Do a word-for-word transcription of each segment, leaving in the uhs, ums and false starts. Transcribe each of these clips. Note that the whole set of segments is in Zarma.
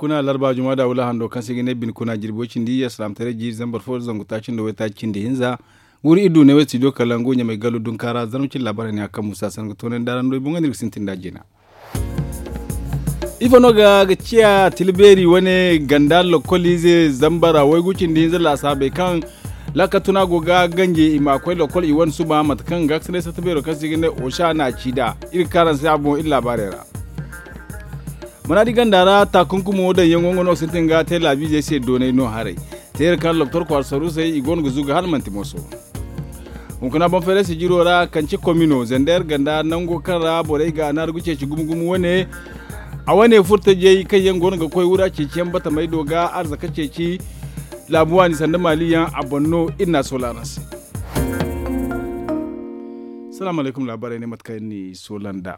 Kuna larba juma da wula hando kaŋ se ga ne bine kuna jirbi way cindi alsilaamataray jiiri zambar fo zangu taaci nda waytaaci cindi hinza. Wuri iri du ne way studio kalangu ɲamay gallu dunkaara zarma cine laabaarey ne a kaŋ musa sangu toonay nda arandoy boŋ ga no iri ga sintin nda a jina. Ifo no ga ga ciya tilbeeri wane ganda lokol ize zambara waygu cindi hinza laasaabey kaŋ laakal tuna go ga ganje i ma koy lokol i wane suba mate kaŋ ga ga sinay satta beero kaŋ se i ga ne osa na a ci nd'a. Iri ga kaaraŋ se a boŋ iri laabaarey ra. Manaadi ganda ra taakunkumo daŋyaŋo nga no sintin ga te laabiizey se doonay no haray. Teera kaŋ loktor kwaara saruusey i go no ga zuga hala manti moso. Hunkuna boŋ feeray sijiro ra kance komino zender ganda nango kaŋ ra borey ga a naaragu ceeci gumo gumo wane. A wane furtajey kaŋ yaŋ go no ga koy wura ceeciyaŋ batamey do ga arzaka ceeci laabu waani sanda maali yaŋ a boŋ no iri n'a soola araŋ se. Salaamu alaykum laabaarey ne mate kaŋ iri n'i soola nd'a.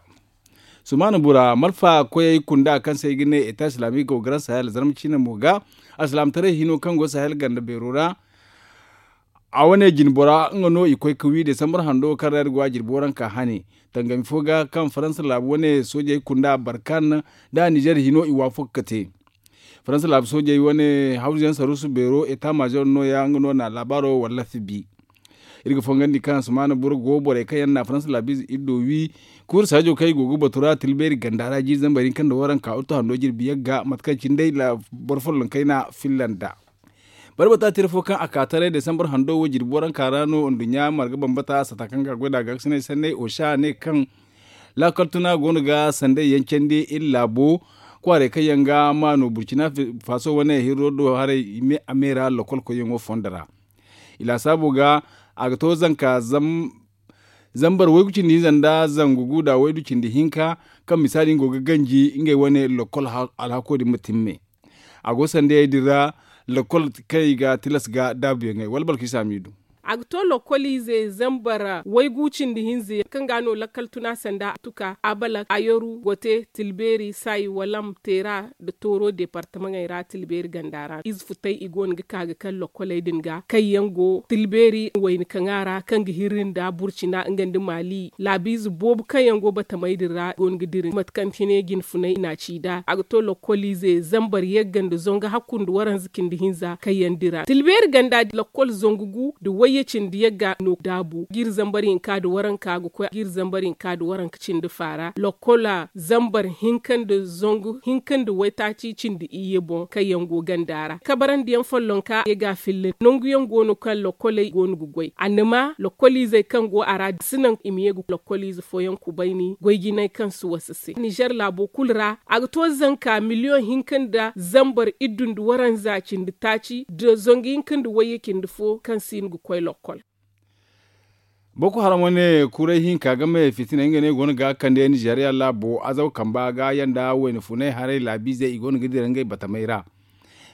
Sumaana bura malfa koyey kunda kaŋ se ay ga ne eta islamique grand sahel zarma ciine mo ga alsilaamataray hino kaŋ go sahel ganda beero ra. A wane jine bora nga no i koy ga wi desambar hando kaŋ ra iri go a jirbi waranka hane. Tangami fo ga kaŋ faransa laabu wane soojey kunda barkan nda nizer hino i waafaka ga te. Faransa laabu soojey wane hawzuyaŋ saruusu beero eta maazor nooya nga no na laabaaro wallafi bi. Iri ga fongandi kaŋ sumaana boro go borey kaŋ yaŋ na faransa laabiize iri do wi. Kuuru saajo kaŋ i go ga batu ra tilbeeri ganda ra jiiri zambar hinka nda waranka otto hando jirbi yagga mate kaŋ cine day boro folloŋ kayna filla nd'a. Barbata tira fo kaŋ a ka taray desambar hando wo jirbi waranka ra no nduɲɲa marga bambata sata kaŋ ga a goy nd'a gaakasinay sanney osa ne kaŋ laakal tuna go no ga sanday yaŋ candi iri laabo. Kwaarey kaŋ yaŋ ga maano burcina faso wane hirro do haray a me ra lokol koyyaŋo fondo ra. I laasaabo ga a ga to zanka zambar waygu cindi hinza nda zangu gu da waydu cindi hinka kaŋ misaali nga go ga ganji ngey wane lokol alhako din ma timme. A go sandayey din ra lokol kaŋ i ga tilas ga daabuyaŋey wala balki saamiidu. A ga to lokoliize zambar waygu cindi hinza yaŋ kaŋ ga no lakkal tuna sanda tuka abalak ayoru gote tilbeeri saayi walam teera nda tooro departamaŋey ra tilbeeri ganda ra ize futay i go no ga ka ga kaŋ lokoley din ga kaŋ yaŋ go tilbeeri wayna kaŋ a ra kaŋ ga hirri nda burcina nga nda maali laabiize boobo kaŋ yaŋ go batamey din ra go no ga dira mate kaŋ cine jinfunay i na ci nd'a a ga to lokoliize zambar yagga nda zongu hakku nda waranza cindi hinza kaŋ yaŋ dira tilbeeri ganda lokol zangu gu nda wayye cindi yagga no daabu jiiri zambar hinka nda waranka ga koy jiiri zambar hinka nda waranka cindi faara lokola zambar hinka nda zangu hinka nda waytaaci cindi iyye boŋ kaŋ yaŋ go ganda ra kabarandiyaŋ follonka ye ga a filla nanguyaŋ go no kaŋ lokoley go no ga goy annama lokoliizey kaŋ go a ra si naŋ i ma ye ga lokoliize fooyaŋ kubayni goy jinay kaŋ si wasa se nizer laabo kulu ra a ga to zanka miliyoŋ hinka nda zambar iddu nda waranza cindi taaci nda zangu hinka nda wayye cindi fo kaŋ si hin ga koy lokol. Boko haram wane kuray hinka game fitiney nga ne go no ga kande nizeriya laabo azaw kamba ga yanda wayna funay haray laabiizey i go no ga dira ngey batamey ra.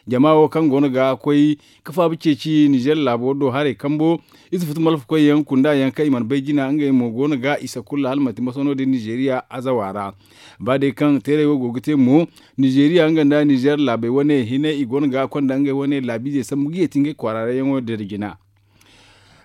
Jama wo kaŋ go no ga koy ga faaba ceeci nizer laabo do haray kambo ize futu malfa koyyaŋ kunda yaŋ kaŋ i mana bay jina ngey mo go no ga isa kulu hala manti maso no- din nizeriya azawa ra. Ba day kaŋ teeray wo go ga te mo nizeriya nga nda nizer laabey wane hinay i go no ga konda ngey wane laabiizey sambu ga yeeti ngey kwaara ra yaŋo dira jina.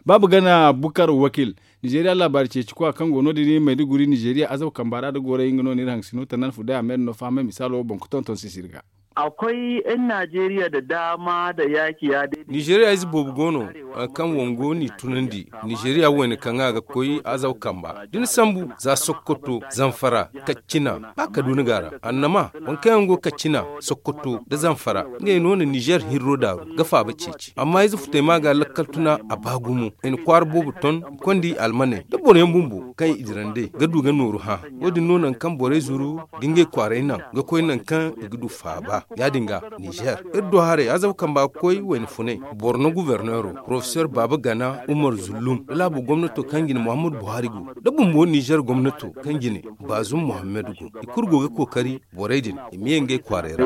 Baaba gana bukar wakil nizeriya laabaari ceeci kwa kaŋ go no- din mayduguri nizeriya azaw kamba ra nda goray nga no no iri hangasino tannan fu day a me nda no fahamay misaalo boŋ ga tonton sisiri ga. Akwai yan najeriya da dama da yaki ya daidai. Nizeriya ize boobo go no kaŋ wango n'i tunandi nizeriya wayna kaŋ a ga koy azaw kamba da ni sambu za sokoto zamfara kaccina ba kaduna ga ra annama waŋ kaŋ yaŋ go kaccina sokoto nda zamfara ngey no na nizer hirro daaru ga faaba ceeci amma ize futay ma ga lakkal tuna a ba gumo i na kwaara boobo ton i konda i almaney da boro yaŋ bumbo kaŋ i dirandey ga du ga nooru hã wo- din no nangu kaŋ borey zuru da ngey kwaaray naŋ ga koy nangu kaŋ i ga du faaba ya- din ga nizer iri do haray azaw kamba ga koy wayna funay borno guberneero porofesor baaba gana umar zullum da laabo gomnato kaŋ jine muhammadu buhari go da bumbo nizer gomnato kaŋ jine baazum muhammadu go i kulu go ga kookari borey din i ma ye ngey kwaaray ra.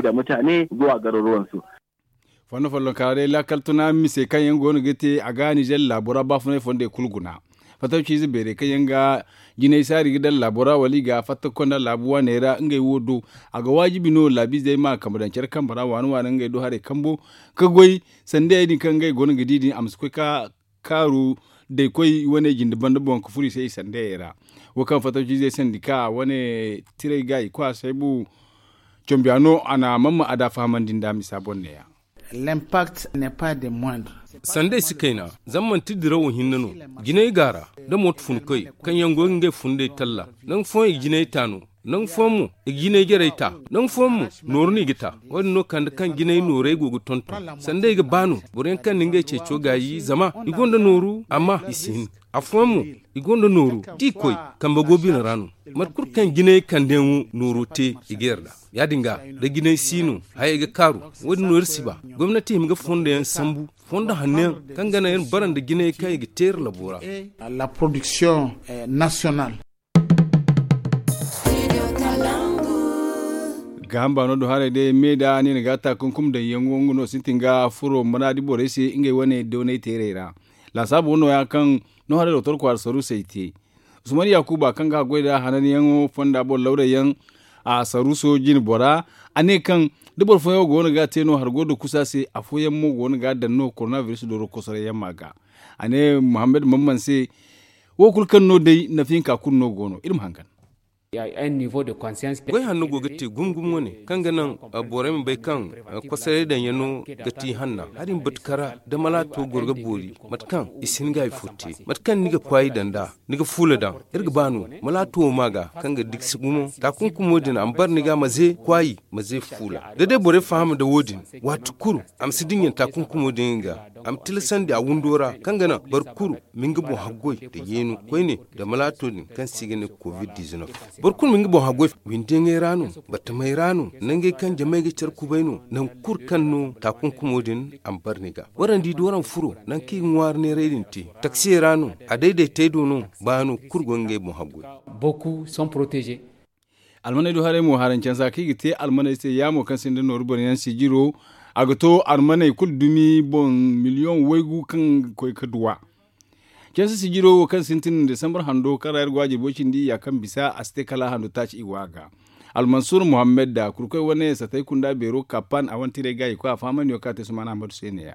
Fondo follonka ra day laakal tuna mise kaŋ yaŋ go no ga te a ga nizer laabo ra baafunay fondey kulu guna. Fatawciize beerey kaŋ yaŋ ga jinay saari ga daŋ laabo ra wala i ga fatta ga konda laabu waaney ra ngey wo do. A ga waajibi no laabiizey ma kambe daŋ care kambe ra waani waani ngey do haray kambo ga goy sanda yay din kaŋ ngey go no ga di din a ma si koy ka kaaru daykoy wane jinde banda boŋ ga furo i se i sandayey ra. Wo kaŋ fatawciizey sandika wane tiray ga i kwaasay bu. Combiya no a na mamma a da fahamandi nda misa boŋ neeya. L'impact n'est pas de moindre. Sanda i si kayna, zama manti dirawo hinne no. Jinay ga a ra, da mooto funkoy kaŋ yaŋ go ga ngey fundey talla. Nangu fooyaŋ i ga jinay ta no. Nangu fooyaŋ mo i ga jinay jarey ta. Nangu fooyaŋ mo nooru no i ga ta. Wo- din no kande kaŋ jinay noorey go ga tonton sanda i ga ba no. Boro yaŋ kaŋ na ngey ceeco gaayi zama i gonda nooru amma i si hin. Afooyaŋ mo i gonda nooru da i koy kambe go bine ra no. Mate kulu kaŋ jinay kandeyaŋo nooro te i ga yarda. Ya- din ga da jinay si no hayey ga kaaru. Wo- din no iri si ba gomnati hima ga fondo yaŋ sambu, fondo hanno yaŋ kaŋ ga naŋ iri ma bara nda jinay kaŋ i ga te iri labo ra. La production national. Gaaham baano do haray day me da a ne ni ga taakunkum daŋ yaŋo nga no sintin ga furo muraadi borey se ngey wane doonay teerey ra. Laasaabu wo nooya kaŋ no haray doktor kwaara saruusey te. Usman yakuba kaŋ ga haggoy nda hananyaŋo fonda boŋ lawray yaŋ a saruuso jine bora. A ne kaŋ da boro fooyaŋ go no ga a te no hari go nda kusa se afooyaŋ mo go no ga a daŋ no korona biris dooro kosoray yaŋ ma ga. A ne muhammad mamman se wo kulu kaŋ no day nafa hinka kulu no go no iri ma hangan. Goy hanno go ga te gumo gumo wane kaŋ ga naŋ borey ma bay kaŋ kosoray daŋ yaŋ no ga ti hanna hari ma batu kara da malaato goro ga boori. Mate kaŋ i si hin ga hari fo te mate kaŋ ni ga kwaayi daŋ nd'a ni ga fuula daŋ. Iri ga ba no malaato wo ma ga kaŋ ga digsi gumo taakunkumo din a ma bara ni ga ma ze kwaayi ma ze fuula da day borey faham nda wo- din. Waati kulu a ma si dinya taakunkumo din ga a ma tilasandi a windo ra kaŋ ga naŋ boro kulu ma nga boŋ haggoy nda yeenu koyne nda malaato din kaŋ se i ga ne covid-19. Boro kulu ma nga boŋ haggoy windiyaŋey ra no batamey ra no nangey kaŋ jamey ga care kubay no nangu kulu kaŋ no taakunkumo din a ma bara ni ga warandi da waraŋ furo nangu kaŋ i ga ŋwaari neeray din te taksiyey ra no a dayday te do no baano kulu go ngey boŋ haggoy. Almaney do haray mo haraŋ cansa kaŋ i ga te almaney se yaamo kaŋ sinda nooru boro yaŋ sijiro a ga to almaney kulu dumi boŋ miliyoŋ waygu kaŋ ga koy ga duw'a. Cansa sijiro wo kaŋ sintin disambar hando kaŋ ra iri go a jirbo cindi ya kaŋ bisa a si te kala hando taaci i go a ga. Almansur muhammad da kurkoy wane satay kunda beero kapan a wane tiray ga i koy a fahamandi yaŋ kaŋ a te sumaana ahmadu se ne- ya.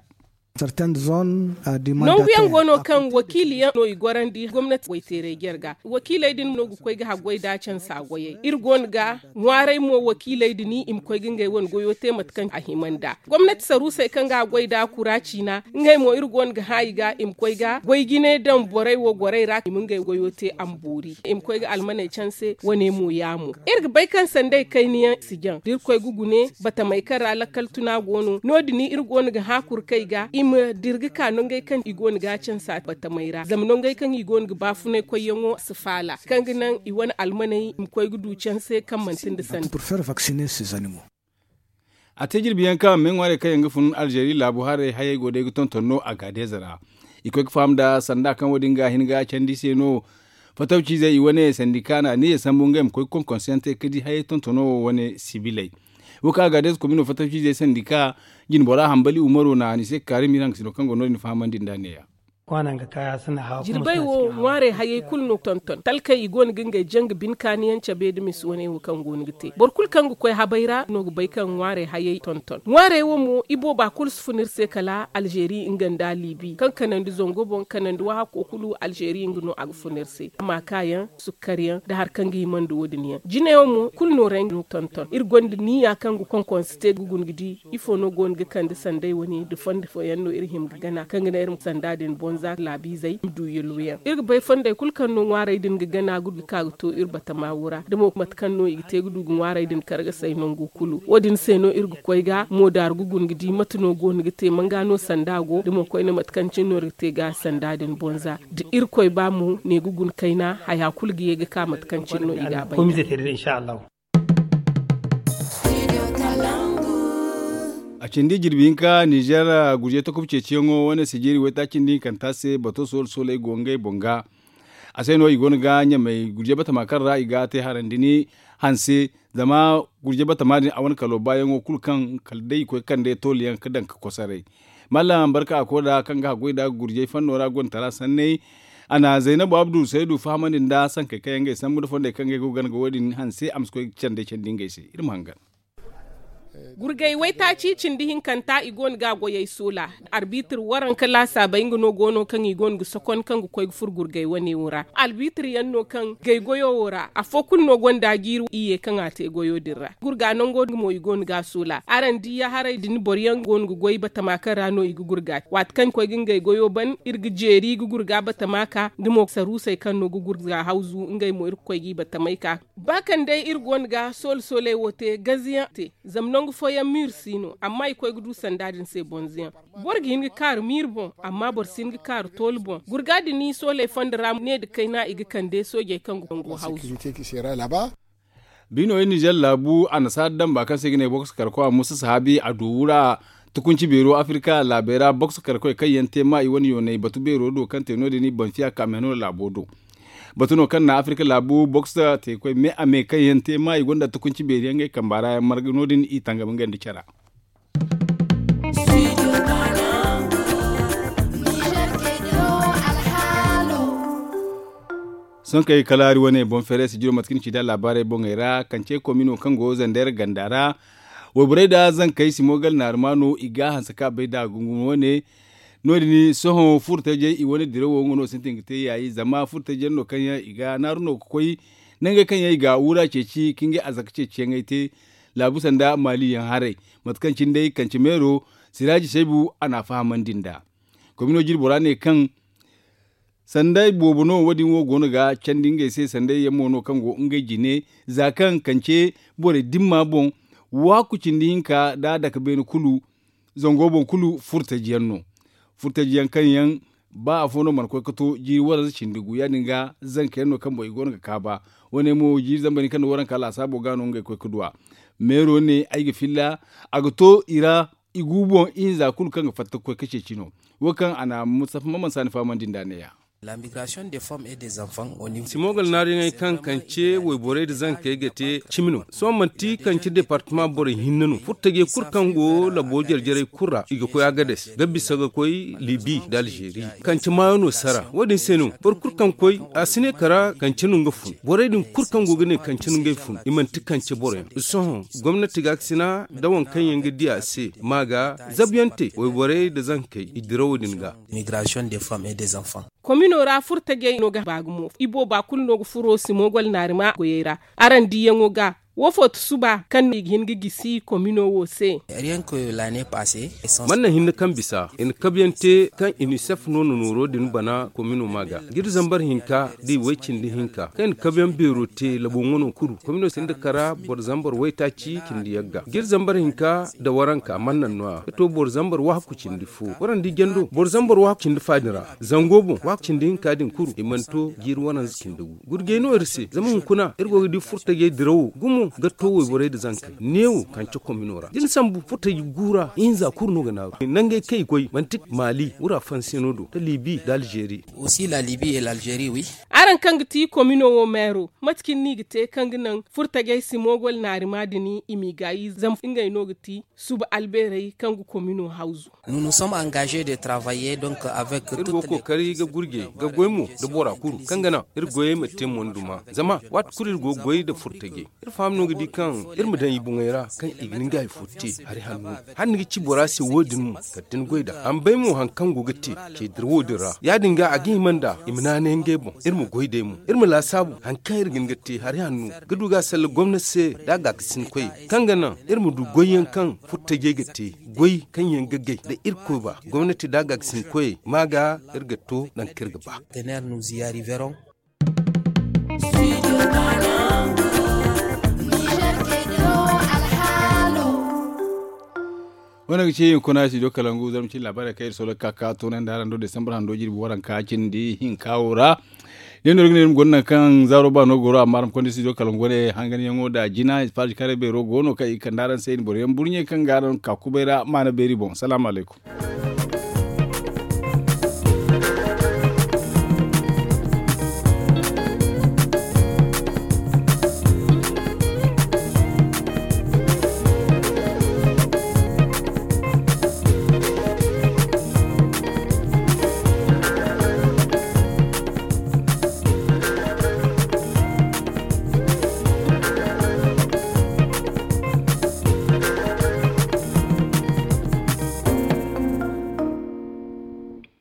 Nangu yaŋ go no kaŋ wakiili yaŋ no i gorandi gomnati goyteeray jarga wakiiley din no ga koy ga haggoy da cansa goyey iri go no ga ŋwaaray mo wakiiley din i ma koy ga ngey wane goyo te mate kaŋ a hima nd'a. Gomnati saruusey kaŋ ga a goy nd'a kura ciina ngey mo iri go no ga hã i ga i ma koy ga goy jine daŋ borey wo gorey ra i ma ngey goyo te a ma boori i ma koy ga almaney canse wane mo yaamo. Iri ga bay kaŋ sanday kayna yaŋ si jaŋ da iri koy ga gune batamey kaŋ ra lakkal tuna go no no- din iri go no ga hã kurkey ga i ma dira ga ka nangey kaŋ i go no ga canse batamey ra zama nangey kaŋ i go no ga baafunay koyyaŋo si faala kaŋ ga naŋ i wane almaney i ma koy ga du canse kaŋ manti nda sanda. A te jirbi yaŋ kaŋ me ŋwaarey kaŋ yaŋ ga fun alzeeri laabu haray hayey go day ga tonton no a ga deeza ra. I koy ga faham nda sanda kaŋ wo- din ga hin ga candi se no. Fatawciizey i wane sandika na niya sambu ngey ma koy ga konkonse yaŋ te ga di hayey tontono wo wane sibiley. Wo kaŋ a ga deeza komino fatawciizey sandika jinbora hambali umaro na a ni se ga kaari miira nga sino kaŋ go no- din fahamandi nd'a neeya. Jirbey wo ŋwaarey hayey kulu no tonton talkey i go no ga ngey janga bine kaani yaŋ cabe nda misi wane wo kaŋ go no ga te boro kulu kaŋ ga koy habay ra no ga bay kaŋ ŋwaarey hayey tonton ŋwaarey wo mo i booba kulu si fun iri se kala alzeeri nga nda liibi kaŋ kanandi zango boŋ kanandi waahako kulu alzeeri nga no a ga fun iri se maaka yaŋ sukkar yaŋ nda hari kaŋ ga hima nda wo- din yaŋ jine wo mo kulu no ra ay ga no tonton iri gonda niya kaŋ ga konkonse te ga guna ga di ifo no go no ga kande sanday wane nda fondo fooyaŋ no iri hima ga gana kaŋ ga naŋ iri ma sanda din bonza laabiizey ma du yulwa yaŋ iri ga bay fonday kulu kaŋ no ŋwaarey din ga gana ga du ga ka ga to iri batama wo ra da mo mate kaŋ no i ga te ga du ga ŋwaarey din kargasey nango kulu wo- din se no iri ga koy ga moodaaru ga guna ga di mate no go no ga te manga no sanda go da mo koyne mate kaŋ cine no iri ga te ga sanda din bonza da irkoy ba mo ne ga guna kayna haya kulu ga ye ga ka mate kaŋ cine no i ga a bay. A cindi jirbi hinka nizer gurjey takuba ceeciyaŋo wane sijiri waytaaci nda hinkanta se bato sooley go ngey boŋ ga. A se no i go no ga ɲamay gurjey batama kaŋ ra i ga te harandi ni hanse zama gurjey batama din a wane kalo baayaŋo kulu kaŋ kala day i koy ga kande tooliyaŋ ga daŋ ga kosoray. Mallam barka a koy da kaŋ ga haggoy nda gurjey fanno ra gonda tala sanney. A na zaynabu abdu saydu fahamandi nda sankey kaŋ yaŋ ngey sambu nda fondey kaŋ ngey go ga gana ga wo- din hanse a ma si koy ga candey candi ngey se iri ma hangan. Gurgay waytaaci cindi hinkanta i go no ga a goyey soola. Arbitir waranka laasaabey nga no go no kaŋ i go no ga sokon kaŋ ga koy ga furo gurgay wane wo ra. Arbitir yaŋ no kaŋ gay goyo wo ra afo kulu no gonda jiiri iyye kaŋ a te goyo din ra gurga nango mo i go no ga a soola araŋ di ya haray din boro yaŋ go no ga goy batama kaŋ ra no i ga gurga waati kaŋ koy ga ngey goyo ban iri ga jeeri ga gurga batama ka da mo saruusey kaŋ no ga gurga hawzu ngey mo iri ga koy ga i batamey ka. Ba kaŋ day iri go no ga soole sooley wo te ganziyaŋ te zama nangu fooyaŋ miiri si no amma i koy ga du sanda din se bonzoyaŋ. Boro ga hin ga kaaru miiri boŋ amma boro si hin ga kaaru toolu boŋ gurga din sooley fondo ra ne nda kayna i ga kande soojey kaŋ go hawzu. Biino iri nizer laabu annasaara damba kaŋ se i ga ne boks karkoy a musa sahaabi a du wura tukunci beero afirka laabey ra boks karkoy kaŋ yaŋ te ma i wane yoonay batu beero do kaŋ te no- din i banfiya kaameno laabo do. Batu no kaŋ na afirka laabu boks te koy me a me kaŋ yaŋ te ma i gonda tukunci beeri yaŋ ngey kamba ra yaŋ marga no- din i tangam ngey nda care ra. Sohõ kay kala hari wane boŋ feere sijiro mate kaŋ ni ci nd'a laabaarey boŋey ra kance komino kaŋ go zandeer ganda ra. Wayborey nda zankey simogal naarima no i ga hanse ka bay nd'a gungumo wane. No- din sohõ furtajey i wane dirawo nga no sintin ga te yaayi zama furtajey no kaŋ yaŋ i ga naaru no ga koy nangey kaŋ yaŋ i ga wura ceeci ka ngey arzaka ceeciyaŋey te. Laabu sanda maali yaŋ haray mate kaŋ cine day kance meero siraaji saybu a n'a fahamandi nd'a. Komino jirbi ra ne kaŋ sanday boobo no wo- din wo go no ga candi ngey se sanday yaŋ mo no kaŋ go ngey jine za kaŋ kance borey dimma boŋ. Waaku cindi hinka nda a dake beene kulu zango boŋ kulu furtaji yaŋ no. Furtaji yaŋ kaŋ yaŋ ba afo no mana koy ga to jiiri waranza cindi gu ya- din ga zanka yaŋ no kaŋ boŋ i go no ga kaaba. Wane mo jiiri zambar hinka nda waranka laasaabo ga no ngey koy ga duw'a. Meero ne ay ga filla a ga to i ra i gu boŋ ihinza kulu kaŋ ga fatta ga koy ga ceeci no. Wo kaŋ a na mustafa maman saani fahamandi nd'a neeya. Simogal naariyaŋey kaŋ kance wayborey nda zankey ga te cimi no sohõ manti kance departama borey hinne no furtajey kulu kaŋ go labo jare jarey kulu ra i ga koy agades ga bisa ga koy libi nda alzeeri. Kance maayo no sara wo- din se no boro kulu kaŋ koy a si ne kara kance no nga fun borey din kulu kaŋ go ga ne kance no ngey fun i manti kance boro yaŋ. Sohõ gomnati gaakasina nda waŋ kaŋ yaŋ ga di a se ma ga zabu yaŋ te wayborey nda zankey i dirawo din ga. Komino ra furtajey no ga ba gumo i booba kulu no ga furo simogol naarima goyey ra. Araŋ diyaŋo ga wo fo ti suba kaŋ no i ga hin ga gisi komino wo se? Manna hinne kaŋ bisa i na kabiyaŋ te kaŋ inisef no na nooro din bana komino ma ga jiri zambar hinka da i way cindi hinka kaŋ i na kabiyaŋ beero te labo ŋwano kuru komino sinda kara boro zambar waytaaci cindi yagga jiri zambar hinka da waranka manna no- ya ga to boro zambar wahakku cindi fo. Waraŋ di jando boro zambar wahakku cindi fa din ra zango boŋ wahakku cindi hinka din kuru i mana to jiiri waranza cindi gu. Gurjey no iri se zama hunkuna iri go ga di furtajey dirawo gumo ga to wayborey nda zankey neewo kance komino ra da ni sambu furtaji gu ra ihinza kulu no ga naaru nangey kaŋ i koy manti maali wura fanseno do nda libi nda alzeeri. Araŋ kaŋ ga ti komino wo meero mate cine no i ga te kaŋ ga naŋ furtajey simogol naarima din i m'i gaayi zama ngey no ga ti suba albeerey kaŋ ga komino hawzu. Iri go ga kookari ga gurjey ga goy mo nda bora kulu kaŋ ga naŋ iri goyey ma te monduma zama waati kulu iri go ga goy nda furtajey. Iri faham no ga di kaŋ iri ma daŋ i boŋey ra kaŋ i ga ni ga hari fo te hari hanno. Hala ni ga ci bora se wo- din mo kala da ni goy nd'a a ma bay mo hari kaŋ go ga te ceedira wo- din ra ya- din ga a ga hima nd'a i ma naanay ngey boŋ iri ma goy day mo iri ma laasaabu hari kaŋ iri ga ni ga te hari hanno ga du ga a salla gomnati se nda a gaakasinkoyey kaŋ ga naŋ iri ma du goyyaŋ kaŋ furtajey ga te goy kaŋ yaŋ ga gay nda irkoy ba gomnati nda a gaakasinkoyey ma ga iri ga to nangu kaŋ iri ga ba. Wane ga ci hunkuna studio kalangu zarma cine laabaarey kaŋ iri sohõ ga ka ka toonandi araŋ do desambar hando jirbi waranka cindi hinka wo ra. Ne no iri ga ne iri ma guna nangu kaŋ zaaro ba no goro amma araŋ ma konda studio kalangu wane hanganyaŋo nda jina faaji karay beero go no kaŋ i ga kande araŋ se i na boro yaŋ burɲe kaŋ ga araŋ ka kubay ra maana beeri boŋ salaamu alaykum.